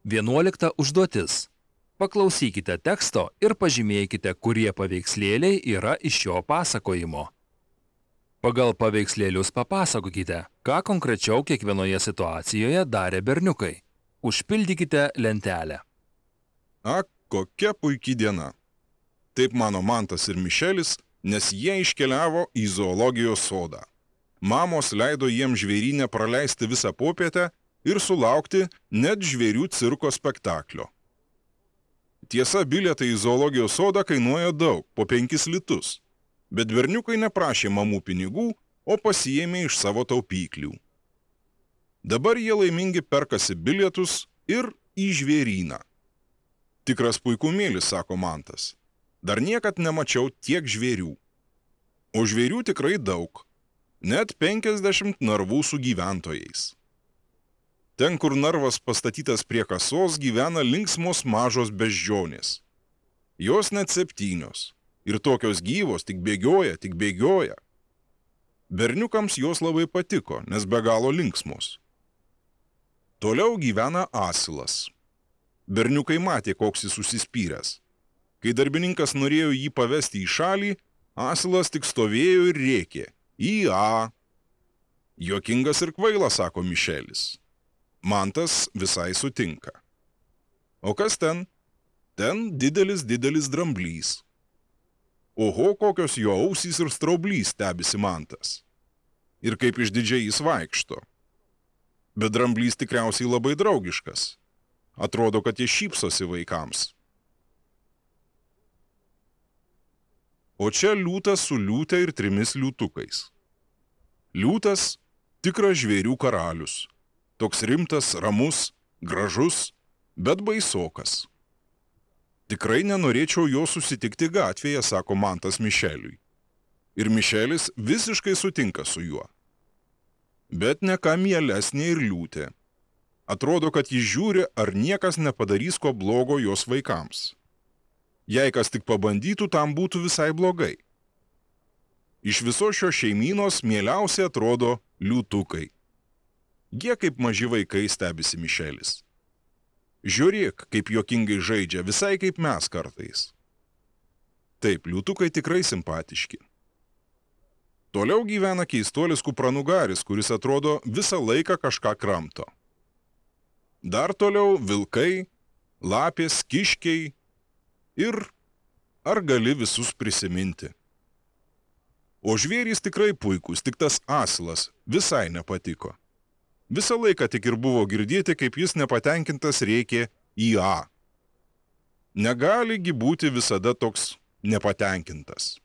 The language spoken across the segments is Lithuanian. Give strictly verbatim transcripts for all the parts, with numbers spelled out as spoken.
Vienuolikta užduotis. Paklausykite teksto ir pažymėkite, kurie paveikslėliai yra iš šio pasakojimo. Pagal paveikslėlius papasakokite, ką konkrečiau kiekvienoje situacijoje darė berniukai. Užpildykite lentelę. Ak, kokia puikia diena. Taip mano Mantas ir Mišelis, nes jie iškeliavo į zoologijos sodą. Mamos leido jiems žvėryne praleisti visą popietę ir sulaukti net žvėrių cirko spektaklio. Tiesa, bilietai į zoologijos sodą kainuoja daug, po penkis litus, bet berniukai neprašė mamų pinigų, o pasiėmė iš savo taupyklių. Dabar jie laimingi perkasi bilietus ir į žvėryną. Tikras puikumėlis, sako Mantas. Dar niekad nemačiau tiek žvėrių. O žvėrių tikrai daug. Net penkiasdešimt narvų su gyventojais. Ten, kur narvas pastatytas prie kasos, gyvena linksmos mažos beždžionės. Jos net septynios. Ir tokios gyvos, tik bėgioja, tik bėgioja. Berniukams jos labai patiko, nes be galo linksmos. Toliau gyvena asilas. Berniukai matė, koks jis užsispyręs. Kai darbininkas norėjo jį pavesti į šalį, asilas tik stovėjo ir rėkė. Į A. Juokingas ir kvailas, sako Mišelis. Mantas visai sutinka. O kas ten? Ten didelis, didelis dramblys. Oho, kokios jo ausys ir straublys, stebisi Mantas. Ir kaip išdidžiai jis vaikšto. Bet dramblys tikriausiai labai draugiškas. Atrodo, kad jis šypsosi vaikams. O čia liūtas su liūte ir trimis liūtukais. Liūtas – tikras žvėrių karalius. Toks rimtas, ramus, gražus, bet baisokas. Tikrai nenorėčiau jo susitikti gatvėje, sako Mantas Mišeliui. Ir Mišelis visiškai sutinka su juo. Bet ne ką mielesnė ir liūtė. Atrodo, kad jis žiūri, ar niekas nepadarys ko blogo jos vaikams. Jei kas tik pabandytų, tam būtų visai blogai. Iš viso šio šeimynos mieliausiai atrodo liūtukai. Jie kaip maži vaikai, stebisi Mišelis. Žiūrėk, kaip juokingai žaidžia, visai kaip mes kartais. Taip, liūtukai tikrai simpatiški. Toliau gyvena keistuolis kupranugaris, kuris atrodo visą laiką kažką kramto. Dar toliau vilkai, lapės, kiškiai ir ar gali visus prisiminti. O žvėrys tikrai puikus, tik tas asilas visai nepatiko. Visą laiką tik ir buvo girdėti, kaip jis nepatenkintas rėkė į A. Negaligi būti visada toks nepatenkintas.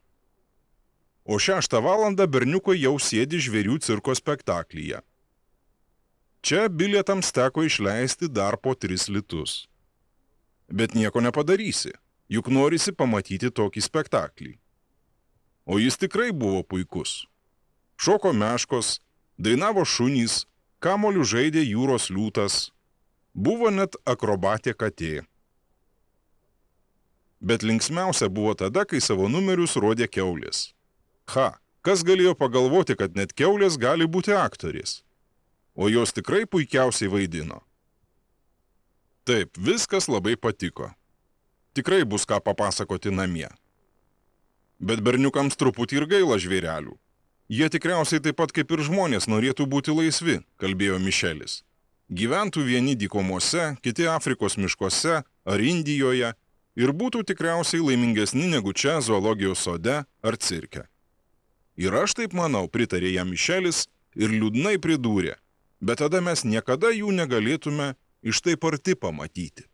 O šeštą valandą berniukai jau sėdi žvėrių cirko spektaklyje. Čia bilietams teko išleisti dar po tris litus. Bet nieko nepadarysi, juk norisi pamatyti tokį spektaklį. O jis tikrai buvo puikus. Šoko meškos, dainavo šunys, kamoliu žaidė jūros liūtas, buvo net akrobatė katė. Bet linksmiausia buvo tada, kai savo numerius rodė kiaulės. Ha, kas galėjo pagalvoti, kad net kiaulės gali būti aktorės? O jos tikrai puikiausiai vaidino. Taip, viskas labai patiko. Tikrai bus ką papasakoti namie. Bet berniukams truputį ir gaila žvėrelių. Jie tikriausiai taip pat kaip ir žmonės norėtų būti laisvi, kalbėjo Mišelis. Gyventų vieni dykumose, kiti Afrikos miškuose ar Indijoje ir būtų tikriausiai laimingesni negu čia zoologijos sode ar cirke. Ir aš taip manau, pritarė jam Mišelis ir liūdnai pridūrė. Bet tada mes niekada jų negalėtume iš taip arti pamatyti.